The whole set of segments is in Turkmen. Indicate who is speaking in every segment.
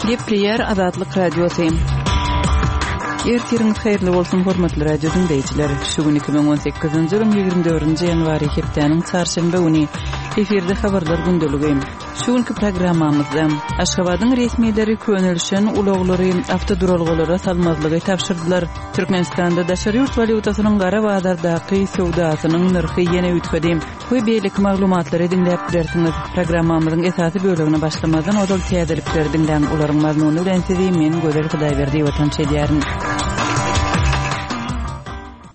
Speaker 1: Gepleýär Azatlyk Radiosy. Ertiriňiz haýyrly bolsun, hormatly radio diňleýjiler. Şu gün 2018-nji ýylyň 24-nji ýanwary hepdäniň çarşenbe güni. Efirde habarlar gündeligi. Şu günki programmamyzda Aşgabadyň resmileri könelişen ulaglary awtoduralgalara salmazlygy tabşyrdylar. Türkmenistanda daşary ýurt walýutasynyň gara bazardaky söwdasynyň nyrhy ýene üýtgedi we beýleki maglumatlary diňläp bilersiňiz. Programmamyzyň esasy bölegine başlamazdan ozal täzelikleri diňläň, olaryň mazmuny bilen sizi men Gözel Hudaýberdiýewa tanyş edýärin.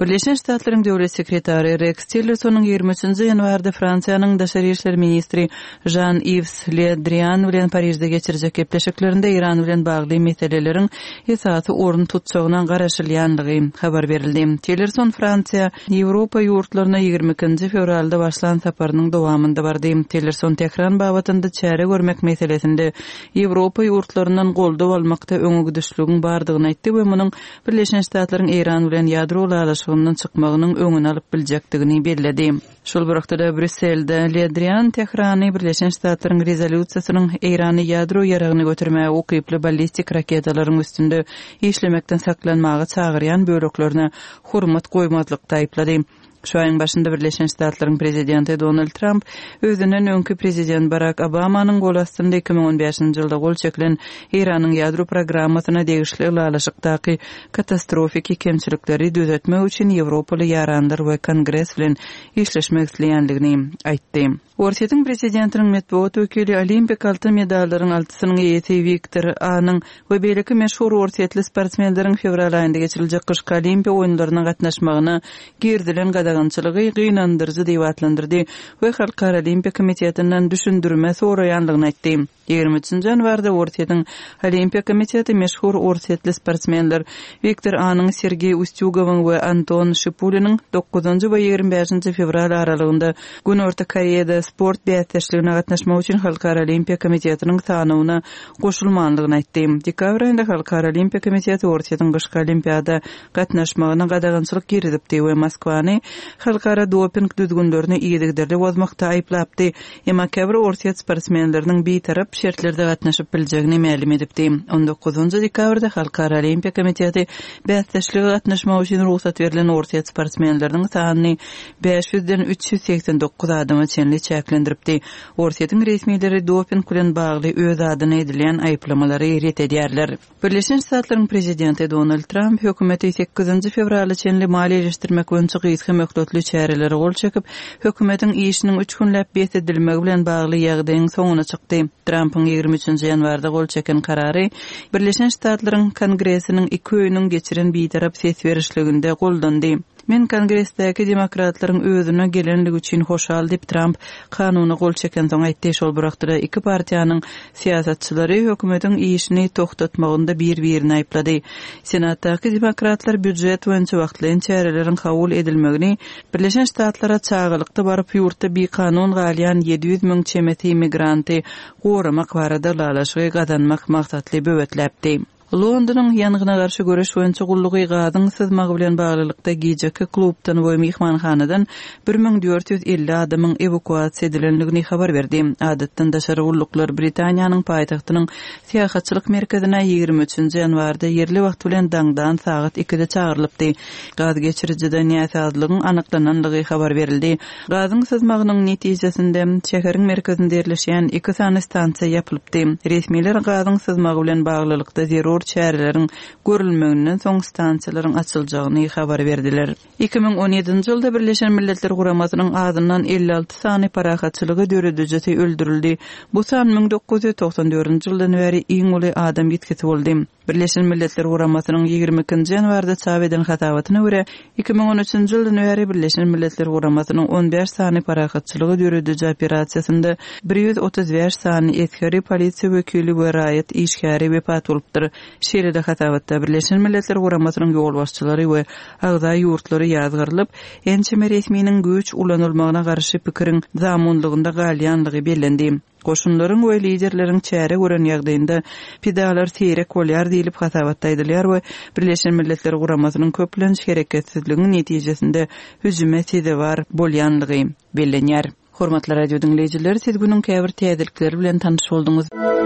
Speaker 1: Birleşen Ştatlaryň Döwlet sekretary Reks Tillersonyň 23-nji ýanwarda Fransiýanyň daşary işler ministri Žan-Iws Le Drian bilen Parižde geçirjek gepleşiklerinde Eýran bilen bagly meseleleriň esasy orun tutjagyna garaşylýandygy habar berildi. Tillerson Fransiýa, Ýewropa ýurtlaryna 22-nji fewralda başlan saparynyň dowamynda bardy. Tillerson Tähran babatynda çäre görmek meselesinde Ýewropa ýurtlaryndan goldaw almakda öňegidişligiň bardygyny aýtdy we munuň Birleşen Ştatlaryň Eýran bilen ýadro ylalaşygyndan çykmagynyň öňüni alyp biljekdigini belledi. Şol bir wagtda-da, Brýusselde Le Drian Tährany Birleşen Ştatlaryň rezolýusiýasynyň Eýrany ýadro ýaragyny götermäge ukyply ballistik raketalaryň üstünde işlemekden saklanmaga çagyrýan böleklerine hormat goýmazlykda aýyplady. Şu aýyň başynda Birleşen Ştatlaryň prezidenti Donald Tramp özünden öňki prezident Barak Obamanyň gol astynda 2015-nji ýylda gol çekilen Eýranyň ýadro programmasyna degişli ylalaşykdaky katastrofiki kemçilikleri düzetmek üçin ýewropaly ýaranlar we Kongres bilen işleşmek isleýändigini aýtdy. Orsýetiň prezidentiniň metbugat wekili olimpik altyn medallaryň altysynyň eýesi Wiktor Anyň we beýleki meşhur orsýetli sportsmenleriň fewral aýynda geçiriljek gyşky Olimpiýa oýunlaryna gatnaşmagyna girizilen gadagançylygy gynandyryjy diýip atlandyrdy we Halkara Olimpiýa komitetinden düşündirme soraýanlygyny aýtdy. 23-nji ýanwarda Orsýetiň Olimpiýa komiteti meşhur orsýetli sportsmenler Wiktor Anyň, Sergeý Ustýugowyň we Anton Şipuliniň dokuzynjy we 25-nji fewral aralygynda Günorta Koreýada sport bäsdeşligine gatnaşmak üçin Halkara Olimpiýa komitetiniň sanawyna goşulmandygyny aýtdy. Dekabr aýynda Halkara Olimpiýa komiteti Orsýetiň gyşky Olimpiada gatnaşmagyna gadagançylyk girizipdi we Moskwany halkara doping düzgünlerini yzygiderli bozmakda aýyplapdy. Emma käbir orsýet sportsmenleriniň bitarap şertlerde gatnaşyp biljegini mälim edipdi. On dokuzynjy dekabrda Halkara Olimpiýa komiteti bäsdeşlige gatnaşmak üçin rugsat berlen orsýet sportsmenleriniň sanyny 500-den 389 adama çenli çäklendiripdi. Orsýetiň resmileri doping bilen bagly öz adyna edilýän aýyplamalary ret edýärler. Birleşen Ştatlaryň prezidenti Donald Tramp hökümeti sekizinji fewrala çenli maliýeleşdirmek boýunça gysga möhletli çärelere gol çekip, hökümetiň işiniň üç günläp bes edilmegi bilen bagly ýagdaýyň soňuna çykdy. Trampyň 23 ýanwarda gol çeken karary Birleşen Ştatlaryň Kongresiniň iki öýüniň geçiren bitarap ses berişliginde goldandy. Men Kongresdäki demokratlaryň özüne gelenligi üçin hoşal diýip, Tramp kanuna gol çekensoň aýtdy. Şol bir wagtda-da iki partiýanyň syýasatçylary hökümetiň işini togtatmagynda bir-birini aýyplady. Senatdaky demokratlar býujet boýunça wagtlaýyn çäreleriň kabul edilmegini Birleşen Ştatlara çagalykda baryp, ýurtda bikanun galýan 700 müň çemesi migranty goramak barada ylalaşygy gazanmak maksatly böwetläpdi. Londonyň ýangyna garşy göreş boýunça gullugy gazyň syzmagy bilen baglylykda gijeki klubdan we myhmanhanadan 1450 adamyň ewakuasiýa edilendigini habar berdi. Adatdan daşary gulluklar Britaniýanyň paýtagtynyň syýahatçylyk merkezine 23-nji ýanwarda ýerli wagt bilen daňdan sagat ikide çagyrylypdy. Gaz geçirijide näsazlygyň anyklanandygy habar berildi. Gazyň syzmagynyň netijesinde, şäheriň merkezinde ýerleşýän iki sany stansiýa ýapylypdy. Resmiler gazyň syzmagy bilen baglylykda zerur çäreleriň görülmeginden soň stansiýalaryň açyljagyny habar berdiler. 2017-nji ýylda Birleşen Milletler Guramasynyň azyndan 56 sany parahatçylygy döredijisi öldürildi. Bu san 1994-nji ýyldan bäri iň uly adam ýitgisi boldy. Birleşen Milletler Guramasynyň 22-nji ýanwarda çap eden hasabatyna görä, 2013-nji ýyldan bäri Birleşen Milletler Guramasynyň 15 sany parahatçylygy dörediji operasiýasynda 135 sany esgeri, polisiýa wekili we raýat işgäri wepat bolupdyr. Şeýle-de hasabatda Birleşen Milletler Guramasynyň ýolbaşçylary we agza ýurtlary ýazgarylyp, ençeme resminiň güýç ulanylmagyna garşy pikiriň zamunlygynda galýanlygy bellendi. Goşunlaryň we liderleriň çäre gören ýagdaýynda pidalar seýrek bolýar diýlip hasabatda aýdylýar we Birleşen Milletler Guramasynyň köplenç hereketsizligiň netijesinde hüjüme sezewar bolýanlygy bellenýär. Hormatly radio diňleýjiler, siz günüň käbir täzelikleri bilen tanyş bolduňyz.